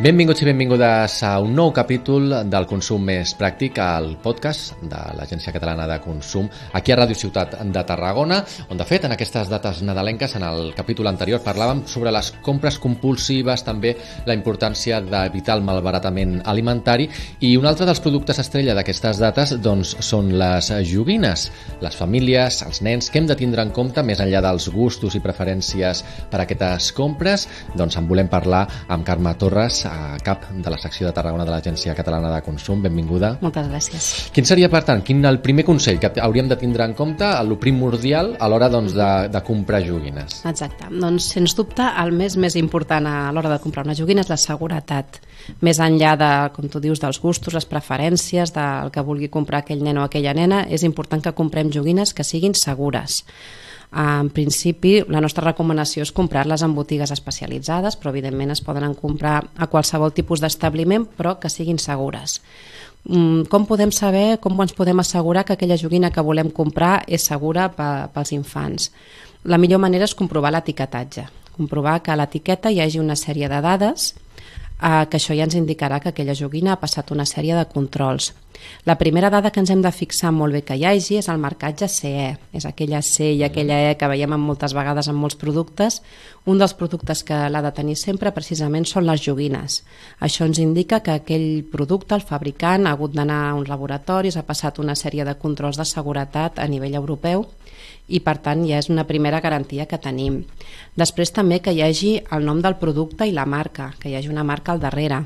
Benvinguts i benvingudes a un nou capítol del Consum Més Pràctic, al podcast de l'Agència Catalana de Consum, aquí a Ràdio Ciutat de Tarragona, on de fet en aquestes dates nadalenques, en el capítol anterior, parlàvem sobre les compres compulsives, també la importància d'evitar el malbaratament alimentari, i un altre dels productes estrella d'aquestes dates doncs, són les joguines. Les famílies, els nens, què hem de tindre en compte més enllà dels gustos i preferències per a aquestes compres? Doncs en volem parlar amb Carme Torres, a cap de la secció de Tarragona de l'Agència Catalana de Consum. Benvinguda. Moltes gràcies. Quin seria, per tant, el primer consell que hauríem de tindre en compte, el primordial a l'hora doncs, de comprar joguines? Exacte. Doncs, sens dubte, el més important a l'hora de comprar una joguina és la seguretat. Més enllà de, com tu dius, dels gustos, les preferències, del que vulgui comprar aquell nen o aquella nena, és important que comprem joguines que siguin segures. En principi, la nostra recomanació és comprar-les en botigues especialitzades, però evidentment es poden comprar a qualsevol tipus d'establiment, però que siguin segures. Com podem saber, com ens podem assegurar que aquella joguina que volem comprar és segura pels infants? La millor manera és comprovar l'etiquetatge, comprovar que a l'etiqueta hi hagi una sèrie de dades que això ja ens indicarà que aquella joguina ha passat una sèrie de controls. La primera dada que ens hem de fixar molt bé que hi hagi és el marcatge CE, és aquella C i aquella E que veiem moltes vegades en molts productes. Un dels productes que l'ha de tenir sempre precisament són les joguines. Això ens indica que aquell producte, el fabricant, ha hagut d'anar a uns laboratoris, ha passat una sèrie de controls de seguretat a nivell europeu i per tant ja és una primera garantia que tenim. Després també que hi hagi el nom del producte i la marca, que hi hagi una marca al darrere.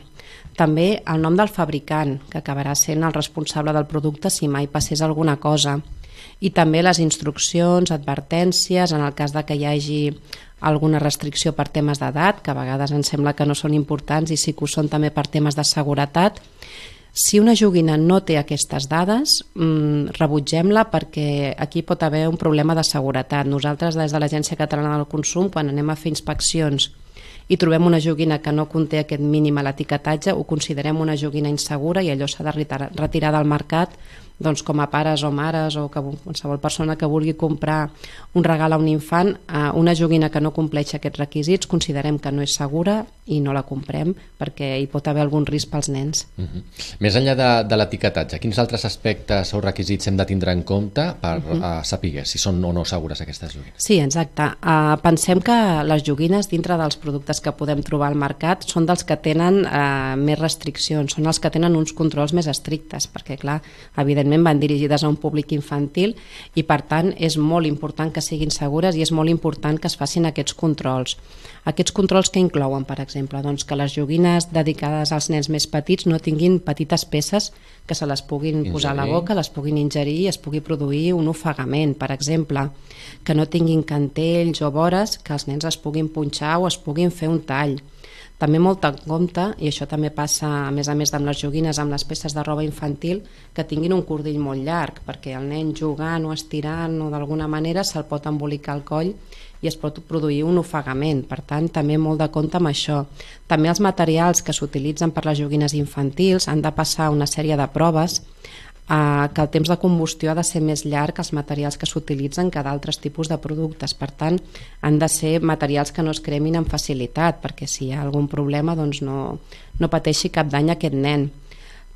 També el nom del fabricant, que acabarà sent el responsable del producte si mai passés alguna cosa. I també les instruccions, advertències, en el cas de que hi hagi alguna restricció per temes d'edat, que a vegades ens sembla que no són importants i sí que ho són també per temes de seguretat. Si una joguina no té aquestes dades, rebutgem-la perquè aquí pot haver un problema de seguretat. Nosaltres, des de l'Agència Catalana del Consum, quan anem a fer inspeccions i trobem una joguina que no conté aquest mínim a l'etiquetatge, ho considerem una joguina insegura i allò s'ha de retirar del mercat, doncs com a pares o mares o qualsevol persona que vulgui comprar un regal a un infant, una joguina que no compleix aquests requisits, considerem que no és segura i no la comprem perquè hi pot haver algun risc pels nens. Més enllà de l'etiquetatge, quins altres aspectes o requisits hem de tindre en compte per saber si són o no segures aquestes joguines? Sí, exacte. Pensem que les joguines dintre dels productes que podem trobar al mercat són dels que tenen més restriccions, són els que tenen uns controls més estrictes, perquè clar, evidentment van dirigides a un públic infantil i per tant és molt important que siguin segures i és molt important que es facin aquests controls. Aquests controls que inclouen, per exemple, doncs que les joguines dedicades als nens més petits no tinguin petites peces que se les puguin posar a la boca, les puguin ingerir i es pugui produir un ofegament, per exemple, que no tinguin cantells o vores que els nens es puguin punxar o es puguin fer un tall. També molt en compte, i això també passa a més amb les joguines, amb les peces de roba infantil, que tinguin un cordill molt llarg, perquè el nen jugant o estirant o d'alguna manera se'l pot embolicar al coll i es pot produir un ofegament. Per tant, també molt de compte amb això. També els materials que s'utilitzen per les joguines infantils han de passar una sèrie de proves que el temps de combustió ha de ser més llarg que els materials que s'utilitzen que d'altres tipus de productes. Per tant, han de ser materials que no es cremin amb facilitat, perquè si hi ha algun problema doncs no pateixi cap dany aquest nen.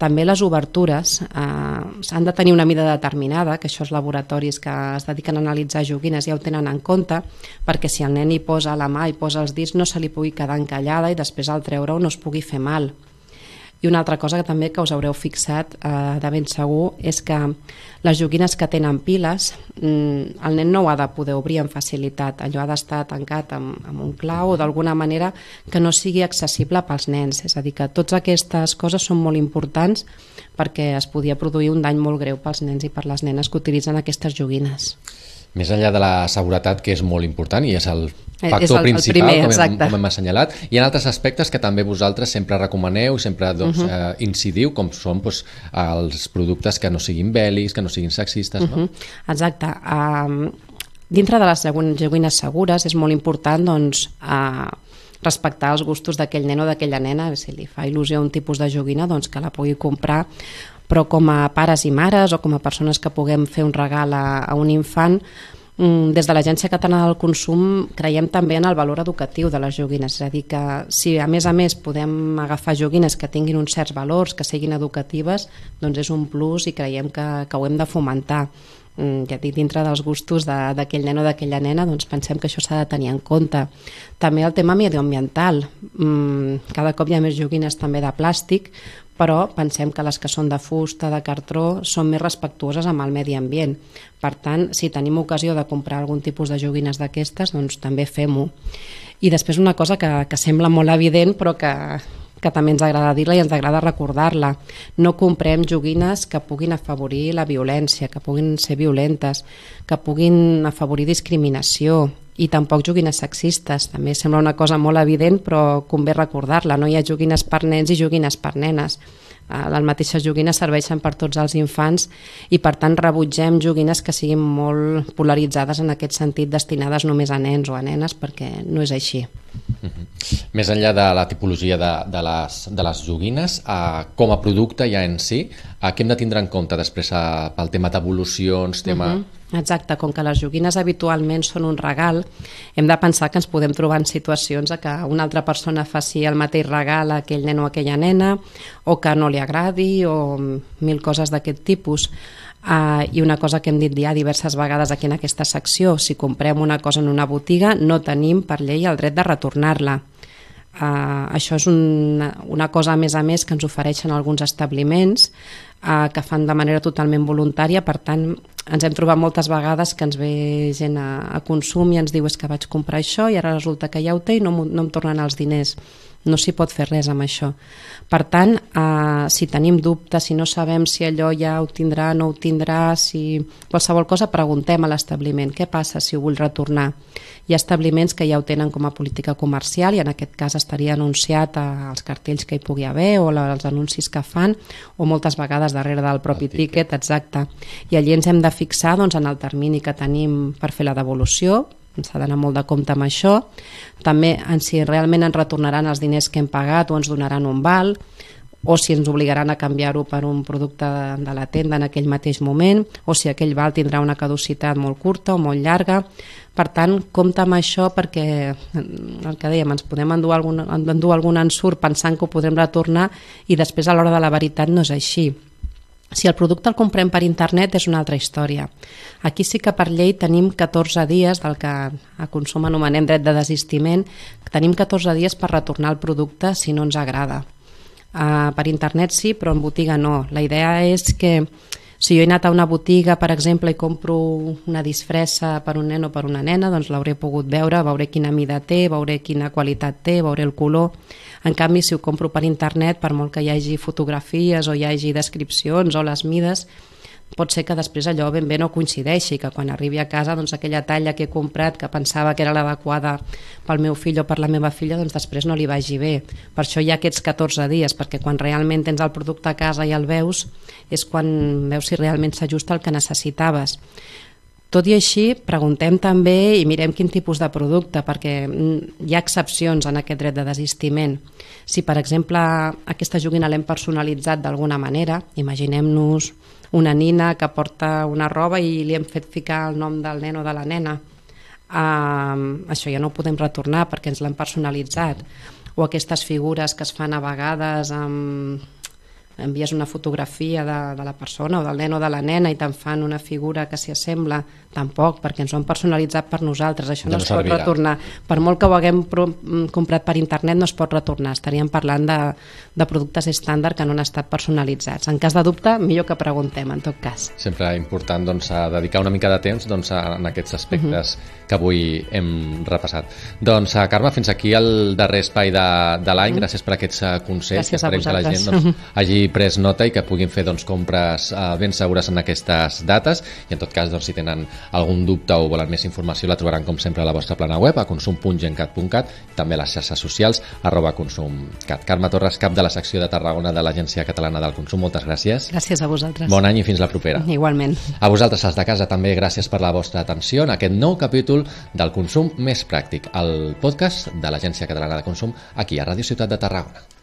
També les obertures han de tenir una mida determinada, que això els laboratoris que es dediquen a analitzar joguines ja ho tenen en compte, perquè si el nen hi posa la mà i posa els dits no se li pugui quedar encallada i després al treure-ho no es pugui fer mal. I una altra cosa que també que us haureu fixat de ben segur és que les joguines que tenen piles, el nen no ho ha de poder obrir amb facilitat, allò ha d'estar tancat amb un clau o d'alguna manera que no sigui accessible pels nens. És a dir, que totes aquestes coses són molt importants perquè es podia produir un dany molt greu pels nens i per les nenes que utilitzen aquestes joguines. Més enllà de la seguretat, que és molt important i és el factor principal, com hem assenyalat, hi ha altres aspectes que també vosaltres sempre recomaneu i sempre incidiu, com són els productes que no siguin bèl·lics, que no siguin sexistes. Exacte. Dintre de les joguines segures és molt important respectar els gustos d'aquell nen o d'aquella nena. Si li fa il·lusió un tipus de joguina, doncs que la pugui comprar, però com a pares i mares o com a persones que puguem fer un regal a un infant, Des de l'Agència Catalana del Consum creiem també en el valor educatiu de les joguines, és a dir, que si a més podem agafar joguines que tinguin uns certs valors, que siguin educatives, doncs és un plus i creiem que ho hem de fomentar. Ja dic, dintre dels gustos d'aquell nen o d'aquella nena, doncs pensem que això s'ha de tenir en compte. També el tema medioambiental. Cada cop hi ha més joguines també de plàstic, però pensem que les que són de fusta, de cartró, són més respectuoses amb el medi ambient. Per tant, si tenim ocasió de comprar algun tipus de joguines d'aquestes, doncs també fem-ho. I després una cosa que sembla molt evident, però que també ens agrada dir-la i ens agrada recordar-la. No comprem joguines que puguin afavorir la violència, que puguin ser violentes, que puguin afavorir discriminació, i tampoc joguines sexistes. També sembla una cosa molt evident, però convé recordar-la. No hi ha joguines per nens i joguines per nenes. Les mateixes joguines serveixen per tots els infants i per tant rebutgem joguines que siguin molt polaritzades en aquest sentit, destinades només a nens o a nenes, perquè no és així. Més enllà de la tipologia de les joguines, com a producte ja en si, què hem de tindre en compte després pel tema d'evolucions, Exacte, com que les joguines habitualment són un regal, hem de pensar que ens podem trobar en situacions que una altra persona faci el mateix regal a aquell nen o aquella nena, o que no li agradi, o mil coses d'aquest tipus. I una cosa que hem dit ja diverses vegades aquí en aquesta secció, si comprem una cosa en una botiga no tenim per llei el dret de retornar-la. Això és una cosa a més que ens ofereixen alguns establiments que fan de manera totalment voluntària. Per tant, ens hem trobat moltes vegades que ens ve gent a consum i ens diu és que vaig comprar això i ara resulta que ja ho té i no em tornen els diners. No s'hi pot fer res amb això. Per tant, si tenim dubtes, si no sabem si allò ja ho tindrà, no ho tindrà, si qualsevol cosa, preguntem a l'establiment què passa si ho vull retornar. Hi ha establiments que ja ho tenen com a política comercial i en aquest cas estaria anunciat als cartells que hi pugui haver o als anuncis que fan, o moltes vegades darrere del propi tíquet, exacte. I allí ens hem de fixar en el termini que tenim per fer la devolució. S'ha d'anar molt de compte amb això. També si realment ens retornaran els diners que hem pagat o ens donaran un val, o si ens obligaran a canviar-ho per un producte de la tenda en aquell mateix moment, o si aquell val tindrà una caducitat molt curta o molt llarga. Per tant, compte amb això perquè, el que dèiem, ens podem endur algun ensurt pensant que ho podrem retornar i després a l'hora de la veritat no és així. Si el producte el comprem per internet és una altra història. Aquí sí que per llei tenim 14 dies, del que a consum anomenem dret de desistiment, tenim 14 dies per retornar el producte si no ens agrada. Per internet sí, però en botiga no. La idea és que si jo he anat a una botiga, per exemple, i compro una disfressa per un nen o per una nena, doncs l'hauré pogut veure, veuré quina mida té, veuré quina qualitat té, veuré el color. En canvi, si ho compro per internet, per molt que hi hagi fotografies o hi hagi descripcions o les mides, pot ser que després allò ben bé no coincideixi, que quan arribi a casa doncs aquella talla que he comprat, que pensava que era l'adequada pel meu fill o per la meva filla, doncs després no li vagi bé. Per això hi ha aquests 14 dies, perquè quan realment tens el producte a casa i el veus, és quan veus si realment s'ajusta al que necessitaves. Tot i així, preguntem també i mirem quin tipus de producte, perquè hi ha excepcions en aquest dret de desistiment. Si, per exemple, aquesta joguina l'hem personalitzat d'alguna manera, imaginem-nos una nina que porta una roba i li hem fet ficar el nom del nen o de la nena. Això ja no ho podem retornar perquè ens l'han personalitzat. O aquestes figures que es fan a vegades envies una fotografia de la persona o del nen o de la nena i te'n fan una figura que s'hi assembla, tampoc, perquè ens ho han personalitzat per nosaltres, això no es pot retornar. Per molt que ho haguem comprat per internet no es pot retornar, estaríem parlant de productes estàndard que no han estat personalitzats. En cas de dubte, millor que preguntem, en tot cas. Sempre important dedicar una mica de temps en aquests aspectes que avui hem repassat. Doncs, Carme, fins aquí el darrer espai de l'any. Gràcies per aquests consells. Gràcies a vosaltres. Que la gent hagi pres nota i que puguin fer compres ben segures en aquestes dates, i en tot cas si tenen algun dubte o volen més informació la trobaran com sempre a la vostra plana web a consum.gencat.cat, també a les xarxes socials @consumcat. Carme Torres, cap de la secció de Tarragona de l'Agència Catalana del Consum, moltes gràcies. Gràcies a vosaltres. Bon any i fins la propera. Igualment. A vosaltres, els de casa, també gràcies per la vostra atenció en aquest nou capítol del Consum Més Pràctic, el podcast de l'Agència Catalana de Consum aquí a Ràdio Ciutat de Tarragona.